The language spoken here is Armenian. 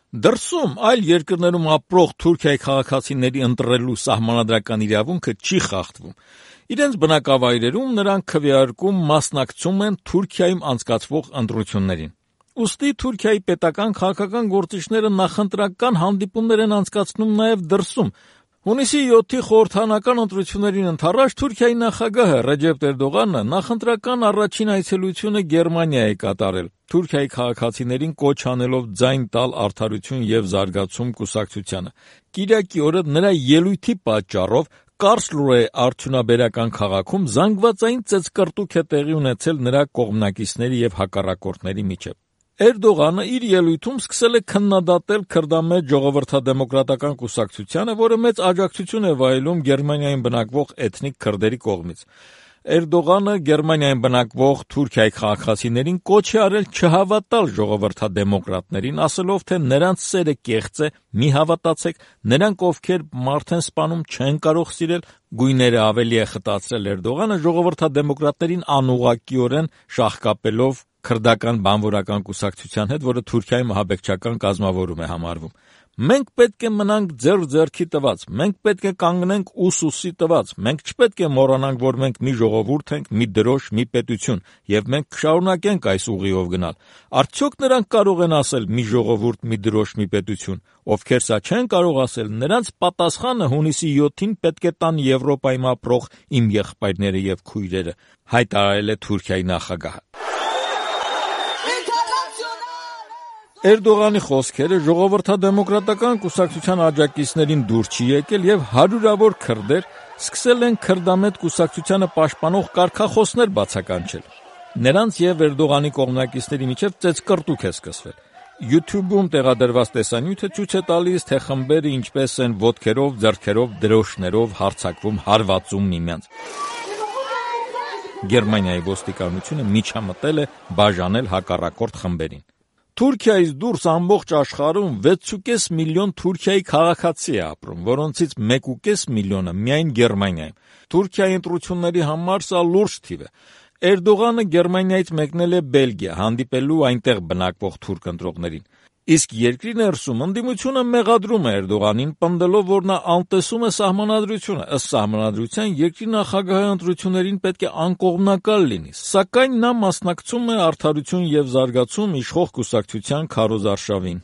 Դրսում այլ երկրներում ապրող Թուրքիայի քաղաքացիների ընտրելու սահմանադրական իրավունքը չի խախտվում։ Իրենց բնակավայրերում նրանք քվեարկում մասնակցում են Թուրքիայում անցկացվող ընտրություններին։ Ուստի Թուրքիայի պետական քաղաքական գործիչները նախընտրական հանդիպումներ են անցկացնում նաև դրսում։ Հունիսի 7-ի խորհրդարանական ընտրություններին ընդառաջ Թուրքիայի նախագահը Ռեջեփ Էրդողանը նախընտրական առաջին այցելությունը Գերմանիա է կատարել, Թուրքիայի քաղաքացիներին կոչ անելով ձայն տալ Արդարություն եւ զարգացում կուսակցությանը։ Կիրակի օրը նրա ելույթի պատճառով Կարլսրուե արդյունաբերական քաղաքում զանգվածային ծեծկռտուք է տեղի ունեցել նրա կողմնակիցների եւ հակառակորդների միջեւ։ Էրդողանը իր ելույթում սկսել է քննադատել քրդամետ ժողովրդադեմոկրատական կուսակցությանը, որը մեծ աջակցություն է վայելում Գերմանիայում բնակվող էթնիկ քրդերի կողմից։ Էրդողանը Գերմանիայում բնակվող Թուրքիայի քաղաքացիներին կոչ է արել չհավատալ ժողովրդադեմոկրատներին, ասելով, թե նրանց սերը կեղծ է, մի հավատացեք, նրանք, ովքեր մարդ են սպանում, չեն կարող սիրել։ Գույները ավելի է խտացրել Էրդողանը ժողովրդադեմոկրատներին անուղղակիորեն շահկապելով քրդական բանվորական կուսակցության հետ, որը Թուրքիայում ահաբեկչական կազմավորում է համարվում։ Մենք պետք է մնանք ձեռքի տված, մենք պետք է կանգնենք ուսի տված, մենք չպետք է մոռանանք, որ մենք մի ժողովուրդ ենք, մի դրոշ, մի պետություն, եւ մենք կշարունակենք այս ուղիով գնալ։ Արդյոք նրանք կարող են ասել մի ժողովուրդ, մի դրոշ, մի պետություն, ովքեր սա չեն կարող ասել, նրանց պատասխանը հունիսի 7-ին պետք է տան Եվրոպայում ապրող իմ եղբայրները եւ քույրերը, հայտարարել է Թուրքիայի նախագահը։ Էրդողանի խոսքերը ժողովրդադեմոկրատական կուսակցության աջակիցներին դուր չի եկել եւ հարյուրավոր քրդեր սկսել են քրդամետ կուսակցությանը պաշտպանող կարգախոսներ բացականչել։ Նրանց եւ Էրդողանի կողմնակիցների միջեւ ծեծկռտուք է սկսվել։ YouTube-ում տեղադրված տեսանյութը ցույց է տալիս, թե խմբերը ինչպես են ոտքերով, ձեռքերով, դրոշներով հարձակվում, հարվածում միմյանց։ Գերմանիայի ոստիկանությունը միջամտել է բաժանել հակառակորդ խմբերին։ Թուրքիայից դուրս ամբողջ աշխարհում 6.5 միլիոն Թուրքիայի քաղաքացի է ապրում, որոնցից 1.5 միլիոնը միայն Գերմանիայում։ Թուրքիայի ընտրությունների համար սա լուրջ թիվ է։ Էրդողանը Գերմանիայից մեկնել է Բելգիա, հանդիպելու այնտեղ բնակվող թուրք ընտրողներին։ Իսկ երկրի ներսում ընդդիմությունը մեղադրում է Էրդողանին, պնդելով, որ նա անտեսում է սահմանադրությունը։ Ըստ սահմանադրության երկրի նախագահի ընտրություններին պետք է անկողմնակալ լինի, սակայն նա մասնակցում է Արդարություն եւ զարգացում իշխող կուսակցության քարոզարշավին։